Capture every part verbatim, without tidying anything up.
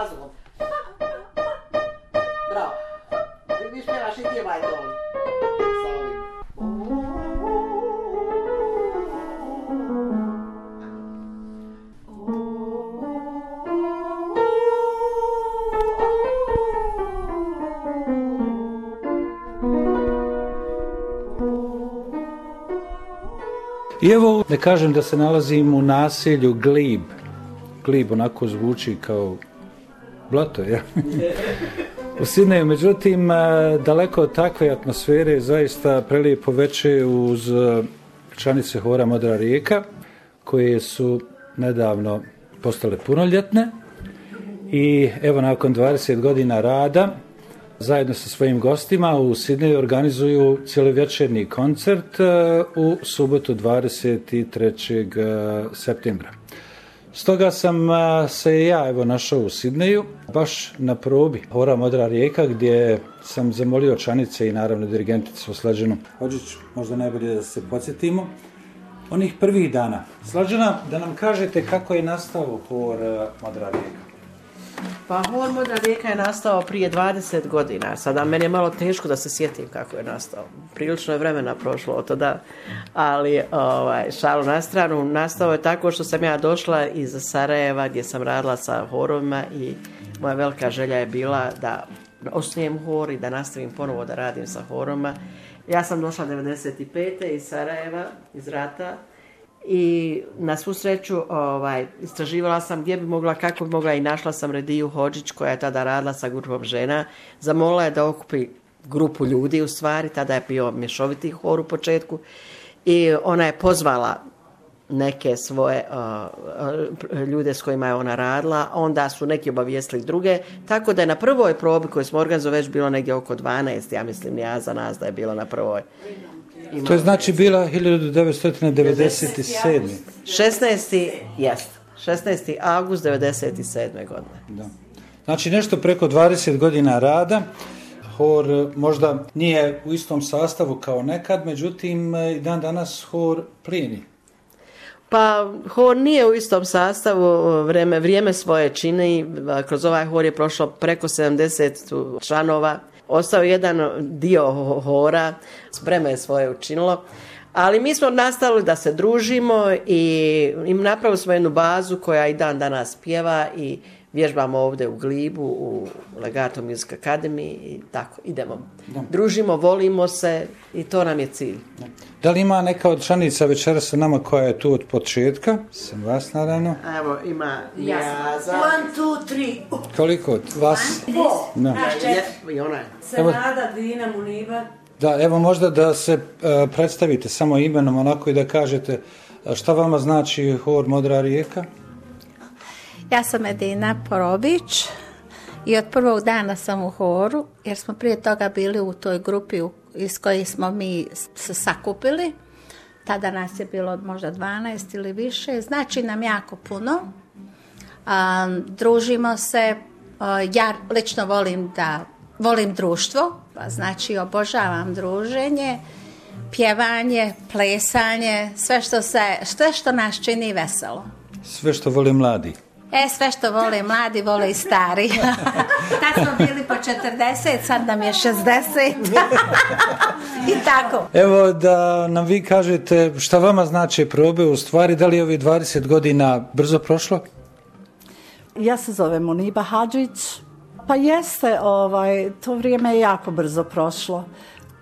fazon. Bravo. Vi spjevaš i ti ovaj ton. Sa ovim. I evo, ne kažem da se nalazim u naselju Glib. Glib onako zvuči kao blato, ja? U Sidneju, međutim, daleko od takve atmosfere, zaista prelijepo veče uz članice hora Modra rijeka, koje su nedavno postale punoljetne. I evo, nakon dvadeset godina rada, zajedno sa svojim gostima u Sidneju organizuju cijelovečernji koncert u subotu dvadeset trećeg septembra. Stoga sam se ja evo našao u Sidneju, baš na probi hora Modra rijeka, gdje sam zamolio članice i naravno dirigenticu Slađanu Hodžić, možda najbolje da se podsjetimo onih prvih dana. Slađana, da nam kažete kako je nastao hor Modra rijeka. Pa hor Modra rijeka je nastao prije dvadeset godina. Sada meni je malo teško da se sjetim kako je nastao. Prilično je vremena prošlo od tada, ali ovaj, šalu na stranu. Nastao je tako što sam ja došla iz Sarajeva gdje sam radila sa horovima i moja velika želja je bila da osnujem hor i da nastavim ponovo da radim sa horovima. Ja sam došla devedeset pete iz Sarajeva, iz rata. I na svu sreću ovaj, istraživala sam gdje bi mogla, kako bi mogla i našla sam Rediju Hodžić koja je tada radila sa grupom žena. Zamolila je da okupi grupu ljudi u stvari, tada je bio mješoviti hor u početku i ona je pozvala neke svoje uh, ljude s kojima je ona radila, onda su neki obavijestili druge, tako da je na prvoj probi koju smo organizovali već bilo negdje oko dvanaest, ja mislim ja za nas da je bilo na prvoj. Imamo to je znači bila hiljadu devetsto devedeset sedme. šesnaesti jest. šesnaesti avgust devedeset sedme godine. Da. Znači nešto preko dvadeset godina rada. Hor možda nije u istom sastavu kao nekad, međutim i dan danas hor plijeni. Pa hor nije u istom sastavu, vrijeme, vrijeme svoje čini, kroz ovaj hor je prošlo preko sedamdeset članova. Ostao jedan dio hora, spreme je svoje učinilo, ali mi smo nastavili da se družimo i napravili smo jednu bazu koja i dan danas pjeva i vježbamo ovdje u Glibu, u Legato Music Academy i tako idemo. Da. Družimo, volimo se i to nam je cilj. Da. Da li ima neka od članica večeras sa nama koja je tu od početka? Sam vas naravno. Evo ima Jaza. One, two, three. Koliko od vas? One, four. No. I ona je. Senada, Dina, Muniba. Da, evo možda da se uh, predstavite samo imenom onako i da kažete šta vama znači hor Modra rijeka? Ja sam Edina Porobić i od prvog dana sam u horu, jer smo prije toga bili u toj grupi iz koje smo mi se sakupili. Tada nas je bilo možda dvanaest ili više, znači nam jako puno. A, družimo se, a, ja lično volim da volim društvo, pa znači obožavam druženje, pjevanje, plesanje, sve što, se, sve što nas čini veselo. Sve što voli mladi. E, sve što vole mladi, vole i stari. Tad smo bili po četrdeset, sad nam je šezdeset. I tako. Evo da nam vi kažete šta vama znači probe u stvari, da li je ovih dvadeset godina brzo prošlo? Ja se zovem Muniba Hadžić. Pa jeste, ovaj, to vrijeme je jako brzo prošlo.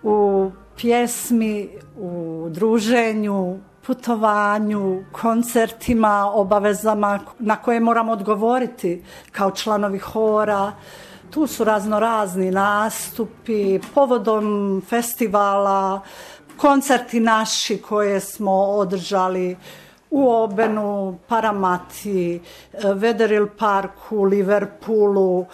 U pjesmi, u druženju, putovanju, koncertima, obavezama na koje moramo odgovoriti kao članovi hora. Tu su razno razni nastupi, povodom festivala, koncerti naši koje smo održali u Obenu, Paramati, Vederill Parku, Liverpoolu,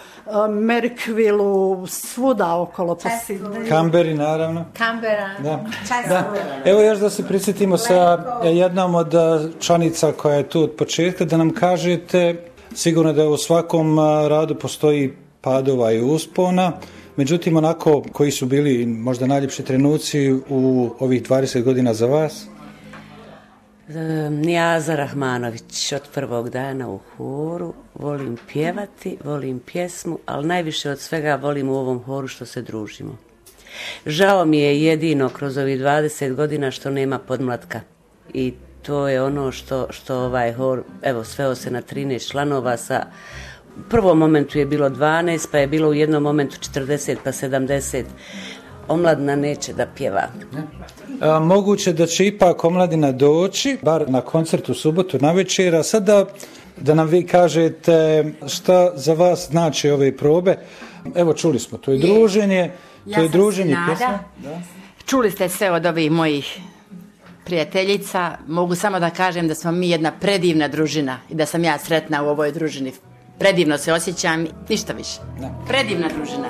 Merkvilu, svuda okolo po Sidneju. Kamberi, naravno. Kambera. Da. Da. Evo još da se prisjetimo sa jednom od članica koja je tu od početka, da nam kažete, sigurno da u svakom radu postoji padova i uspona, međutim onako koji su bili možda najljepši trenuci u ovih dvadeset godina za vas? Nijaza Rahmanović, od prvog dana u horu, volim pjevati, volim pjesmu, ali najviše od svega volim u ovom horu što se družimo. Žao mi je jedino kroz ovih dvadeset godina što nema podmlatka i to je ono što, što ovaj hor, evo, sveo se na trinaest članova, sa u prvom momentu je bilo dvanaest, pa je bilo u jednom momentu četrdeset, pa sedamdeset. Omladina neće da pjeva. A, moguće da će ipak omladina doći, bar na koncert u subotu navečer, a sada da nam vi kažete šta za vas znači ove probe. Evo, čuli smo, to je druženje, ja to je druženje pjesma. Čuli ste sve od ovih mojih prijateljica. Mogu samo da kažem da smo mi jedna predivna družina i da sam ja sretna u ovoj družini. Predivno se osjećam, ništa više. Predivna družina.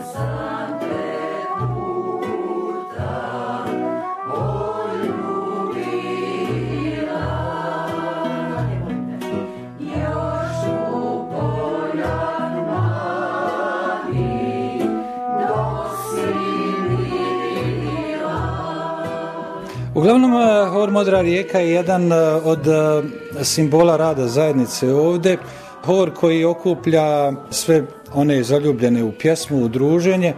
Uglavnom, hor Modra rijeka je jedan od simbola rada zajednice ovdje. Hor koji okuplja sve one zaljubljene u pjesmu, u druženje,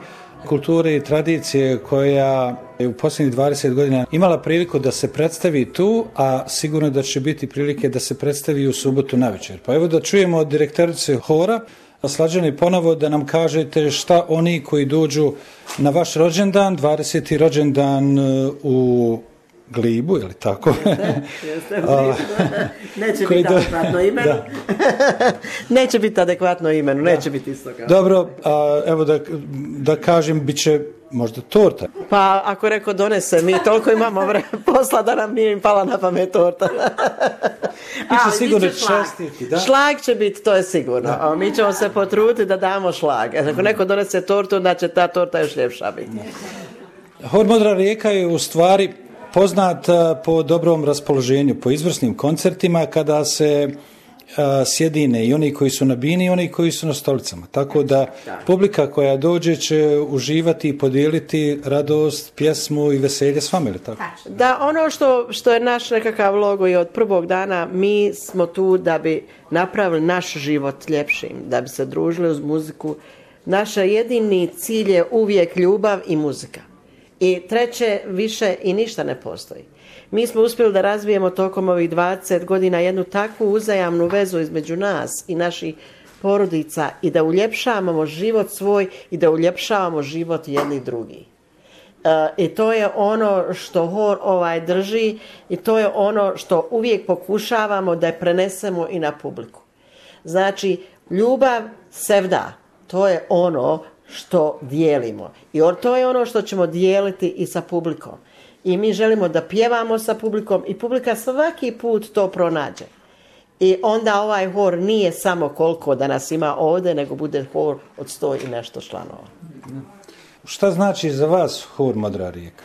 kulture i tradicije koja je u posljednjih dvadeset godina imala priliku da se predstavi tu, a sigurno da će biti prilike da se predstavi u subotu navečer. Pa evo da čujemo od direktorice hora, Slađani, ponovo da nam kažete šta oni koji dođu na vaš rođendan, dvadeseti rođendan u Glibu, je li tako? Jeste, neće biti adekvatno imenu. Neće biti adekvatno imenu, neće biti isto kao. Dobro, a, evo da, da kažem, bit će možda torta. Pa ako reko donese, mi toliko imamo vre, posla da nam nije im pala na pamet torta. Biće sigurno čestiti, da? Šlag će biti, to je sigurno. A mi ćemo se potruditi da damo šlag. Ako neko donese tortu, onda će ta torta još ljepša biti. Hor Modra rijeka je u stvari poznat po dobrom raspoloženju, po izvrsnim koncertima kada se a, sjedine i oni koji su na bini i oni koji su na stolicama. Tako da publika koja dođe će uživati i podijeliti radost, pjesmu i veselje s vama, ili tako? Da, ono što, što je naš nekakav logo i od prvog dana, mi smo tu da bi napravili naš život ljepšim, da bi se družili uz muziku. Naš jedini cilj je uvijek ljubav i muzika. I treće, više i ništa ne postoji. Mi smo uspjeli da razvijemo tokom ovih dvadeset godina jednu takvu uzajamnu vezu između nas i naših porodica i da uljepšavamo život svoj i da uljepšavamo život jednih drugih. E, I to je ono što hor ovaj drži i to je ono što uvijek pokušavamo da je prenesemo i na publiku. Znači, ljubav sevda, to je ono što dijelimo. I to je ono što ćemo dijeliti i sa publikom. I mi želimo da pjevamo sa publikom i publika svaki put to pronađe. I onda ovaj hor nije samo koliko da nas ima ovdje, nego bude hor od sto i nešto članova. Šta znači za vas hor Modra rijeka?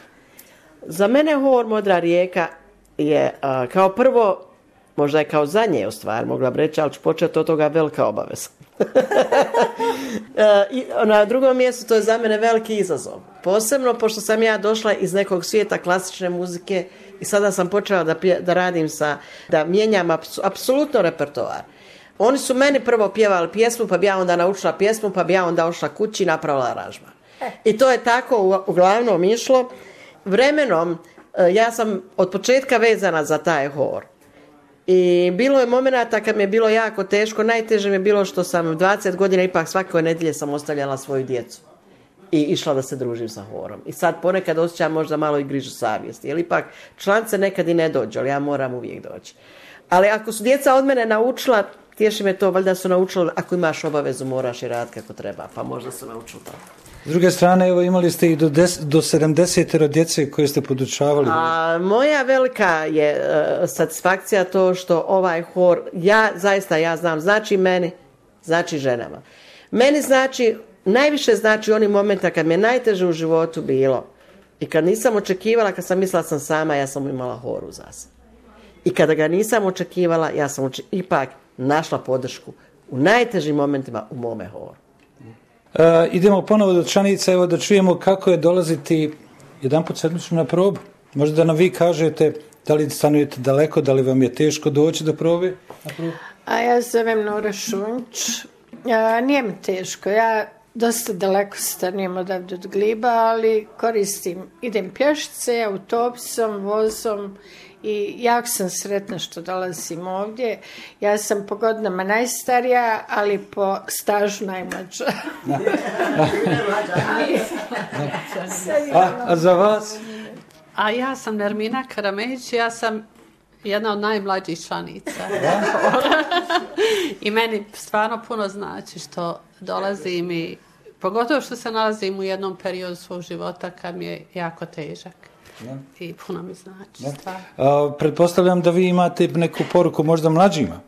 Za mene hor Modra rijeka je a, kao prvo, možda je kao zadnje u stvari, mogla bi reći, ali ću početi od toga velika obaveza. I na drugom mjestu to je za mene veliki izazov. Posebno pošto sam ja došla iz nekog svijeta klasične muzike i sada sam počela da, pje, da radim sa, da mijenjam aps, apsolutno repertoar. Oni su meni prvo pjevali pjesmu, pa bi ja onda naučila pjesmu, pa bi ja onda ošla kući i napravila aranžman. I to je tako uglavnom išlo. Vremenom ja sam od početka vezana za taj hor. I bilo je momenata kad mi je bilo jako teško, najteže mi je bilo što sam dvadeset godina ipak svake nedjelje sam ostavljala svoju djecu i išla da se družim sa horom. I sad ponekad osjećam možda malo i grižu savjesti, jer ipak članice nekad i ne dođu, ali ja moram uvijek doći. Ali ako su djeca od mene naučila, tješi me to, valjda su naučili, ako imaš obavezu moraš i raditi kako treba, pa možda su naučili to. S druge strane, evo, imali ste i do, des, do sedamdeset djece koje ste podučavali. A, moja velika je uh, satisfakcija to što ovaj hor, ja zaista ja znam, znači meni, znači ženama. Meni znači, najviše znači oni momenta kad mi je najteže u životu bilo i kad nisam očekivala, kad sam mislila sam sama, ja sam imala hor uz sebe. I kada ga nisam očekivala, ja sam oči, ipak našla podršku u najtežim momentima u mome horu. Uh, idemo ponovo do Čanica, evo da čujemo kako je dolaziti jedanput sedmično na probu. Možda da nam vi kažete Da li stanujete daleko, da li vam je teško doći do probe? A ja zovem Nora Šunč. A, nije mi teško, ja dosta daleko stanujem odavde od Gliba, ali koristim, idem pješice, autobusom, vozom i jako sam sretna što dolazim ovdje. Ja sam po godinama najstarija, ali po stažu najmlađa. a, a za vas? A ja sam Nermina Karamejić, ja sam jedna od najmlađih članica. I meni stvarno puno znači što dolazim i pogotovo što se nalazim u jednom periodu svog života kad mi je jako težak. Ja. I puno mi znači. Ja. A, pretpostavljam da vi imate neku poruku možda mlađima.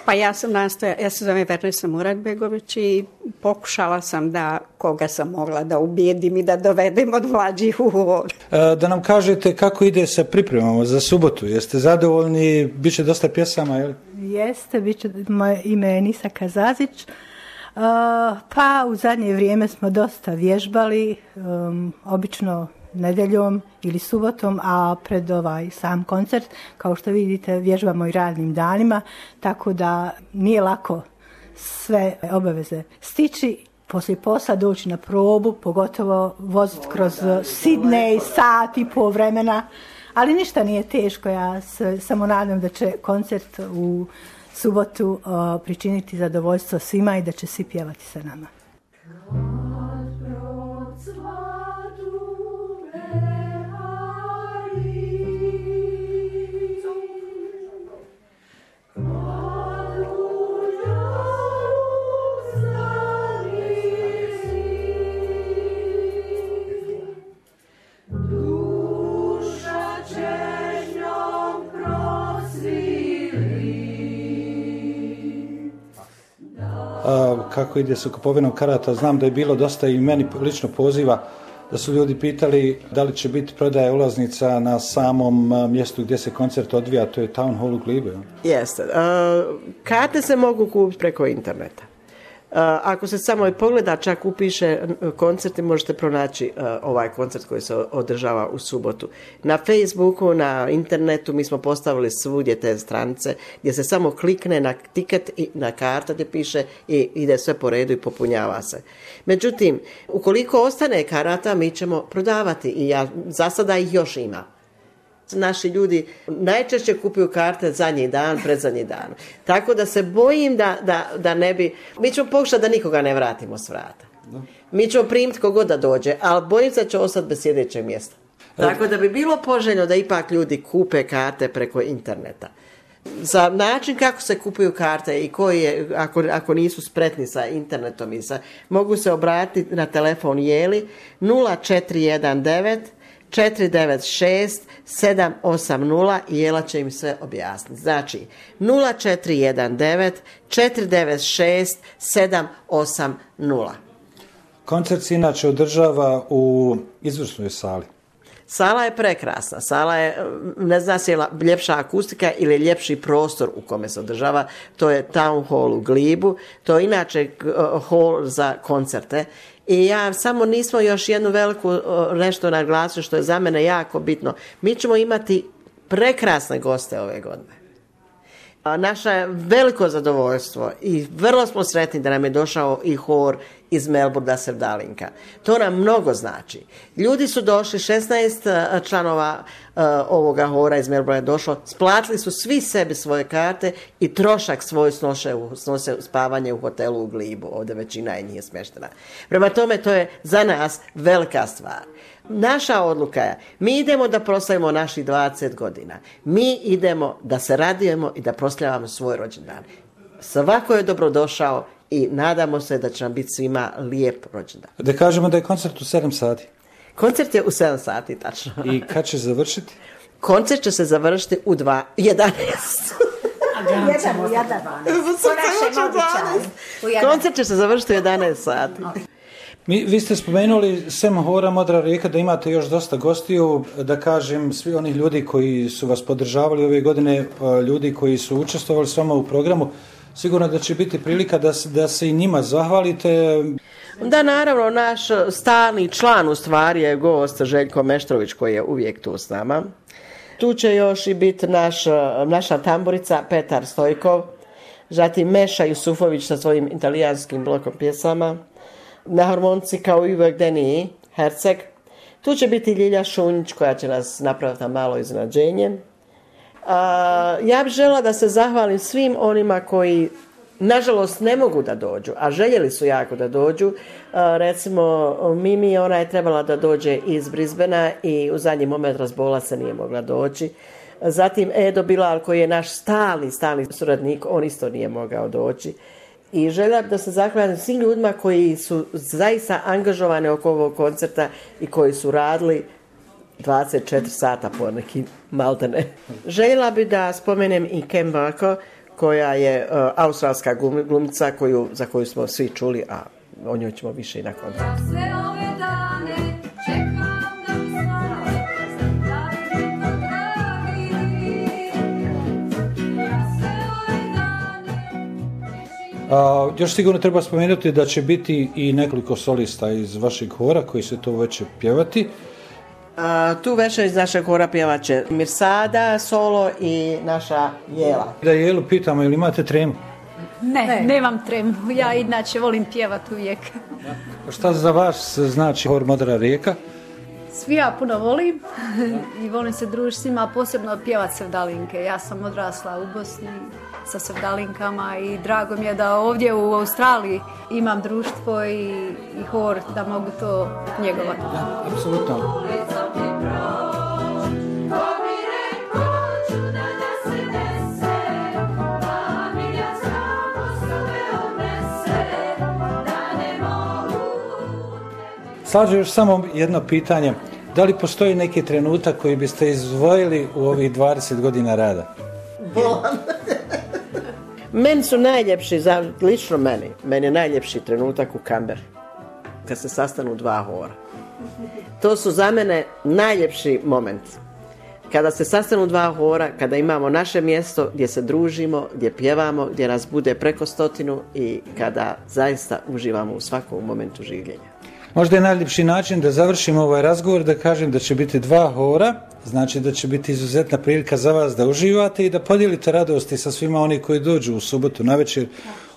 Pa ja sam nastoja, ja se zovem Vernesa Muratbegović i pokušala sam da koga sam mogla da ubijedim i da dovedem od mlađih u hor. Da nam kažete kako ide sa pripremama za subotu. Jeste zadovoljni? Biće dosta pjesama, je li? Jeste, bit će, moje ime je Nisa Kazazić. Uh, pa u zadnje vrijeme smo dosta vježbali, um, obično nedeljom ili subotom, a pred ovaj sam koncert, kao što vidite, vježbamo i radnim danima, tako da nije lako sve obaveze stići, poslije posla doći na probu, pogotovo voziti kroz Sidney, sat i pol vremena, ali ništa nije teško, ja se samo nadam da će koncert u subotu uh, pričiniti zadovoljstvo svima i da će svi pjevati sa nama. A, kako ide sa kupovinom karata, znam da je bilo dosta i meni lično poziva da su ljudi pitali da li će biti prodaja ulaznica na samom mjestu gdje se koncert odvija, to je Town Hall u Glibu. Jeste. Uh, karte se mogu kupiti preko interneta. Uh, ako se samo i pogleda, čak upiše koncerti, možete pronaći uh, ovaj koncert koji se održava u subotu. Na Facebooku, na internetu mi smo postavili svugdje te stranice gdje se samo klikne na tiket i na karta gdje piše i ide sve po redu i popunjava se. Međutim, ukoliko ostane karata, mi ćemo prodavati i ja, za sada ih još ima. Naši ljudi najčešće kupuju karte zadnji dan, predzadnji dan. Tako da se bojim da, da, da ne bi... Mi ćemo pokušati da nikoga ne vratimo s vrata. Mi ćemo primiti kogod da dođe, ali bojim se da će ostati bez sjedećeg mjesta. Tako da bi bilo poželjno da ipak ljudi kupe karte preko interneta. Za način kako se kupuju karte i koji je, ako, ako nisu spretni sa internetom i sa, mogu se obratiti na telefon Jeli nula četiri jedan devet četiri devet šest sedam osam nula i Jela će im sve objasniti. Znači nula četiri jedan devet četiri devet šest sedam osam nula. Koncert se inače održava u izvrsnoj sali. Sala je prekrasna. Sala je, ne zna se je ljepša akustika ili ljepši prostor u kome se održava. To je Town Hall u Glibu. To je inače uh, hall za koncerte. I ja samo nismo još jednu veliku uh, nešto naglasili što je za mene jako bitno. Mi ćemo imati prekrasne goste ove godine. A naše je veliko zadovoljstvo i vrlo smo sretni da nam je došao i hor iz Melbourne Sevdalinka. To nam mnogo znači. Ljudi su došli, šesnaest članova uh, ovoga hora iz Melbourne je došlo, splatili su svi sebi svoje karte i trošak svoj snose, snose spavanje u hotelu u Glibu. Ovdje većina je nije smještena. Prema tome, to je za nas velika stvar. Naša odluka je, mi idemo da proslavimo naših dvadeset godina. Mi idemo da se radujemo i da proslavljamo svoj rođendan. Svako je dobrodošao i nadamo se da će nam biti svima lijep rođendan. Da kažemo da je koncert u sedam sati. Koncert je u sedam sati, tačno. I kad će završiti? Koncert će se završiti u dva, jedanaest. Jedan u jedan. Koncert će se završiti u jedanaest sati. Mi, vi ste spomenuli sem hora Modra rijeka da imate još dosta gostiju, da kažem svi oni ljudi koji su vas podržavali ove godine, ljudi koji su učestvovali s vama u programu, sigurno da će biti prilika da, da se i njima zahvalite. Da, naravno, naš stalni član u stvari je gost Željko Meštrović koji je uvijek tu s nama. Tu će još i biti naš, naša tamburica Petar Stojkov, zatim Meša Jusufović sa svojim italijanskim blokom pjesama, na harmonici kao i uvijek Deniji Herceg. Tu će biti Ljilja Šunjić koja će nas napraviti na malo iznenađenje. A, ja bih žela da se zahvalim svim onima koji nažalost ne mogu da dođu, a željeli su jako da dođu. A, recimo Mimi, ona je trebala da dođe iz Brisbanea i u zadnji moment razbola se, nije mogla doći. Zatim Edo Bilal koji je naš stalni, stalni suradnik, on isto nije mogao doći. I željela da se zahvalim svim ljudima koji su zaista angažovani oko ovog koncerta i koji su radili dvadeset četiri sata po neki maltene. Željela bi da spomenem i Kem Bako, koja je uh, australska glumica koju, za koju smo svi čuli, a o njoj ćemo više i na koncertu. A, još sigurno treba spomenuti da će biti i nekoliko solista iz vašeg hora koji se to već pjevati. A, tu večer iz našeg hora pjevat će Mirsada, solo i naša Jela. Da Jelu pitamo, ili imate tremu? Ne, ne, nemam tremu. Ja inače volim pjevati uvijek. Šta za vas znači hor Modra rijeka? Svi ja puno volim i volim se družiti s njima, posebno pjevati sevdalinke. Ja sam odrasla u Bosni sa sevdalinkama i drago mi je da ovdje u Australiji imam društvo i, i hor da mogu to njegovati. Da, apsolutno. Slađe, još samo jedno pitanje. Da li postoji neki trenutak koji biste izdvojili u ovih dvadeset godina rada? Bolan. Meni su najljepši, za, lično meni, meni je najljepši trenutak u Canberri, kad se sastanu dva hora. To su za mene najljepši moment. Kada se sastanu dva hora, kada imamo naše mjesto gdje se družimo, gdje pjevamo, gdje nas bude preko stotinu i kada zaista uživamo u svakom momentu življenja. Možda je najljepši način da završimo ovaj razgovor, da kažem da će biti dva hora, znači da će biti izuzetna prilika za vas da uživate i da podijelite radosti sa svima oni koji dođu u subotu navečer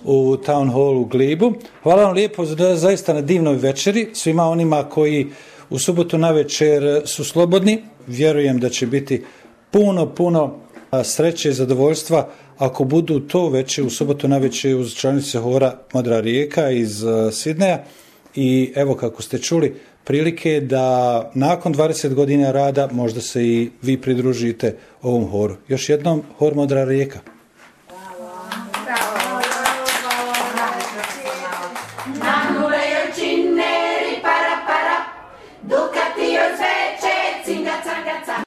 u Town Hall u Glibu. Hvala vam lijepo za, zaista na divnoj večeri, svima onima koji u subotu navečer su slobodni. Vjerujem da će biti puno, puno sreće i zadovoljstva ako budu to večer u subotu navečer uz članice hora Modra rijeka iz Sidneja. I evo, kako ste čuli, prilike da nakon dvadeset godina rada možda se i vi pridružite ovom horu. Još jednom, hor Modra rijeka. Bravo. Bravo. Bravo. Bravo.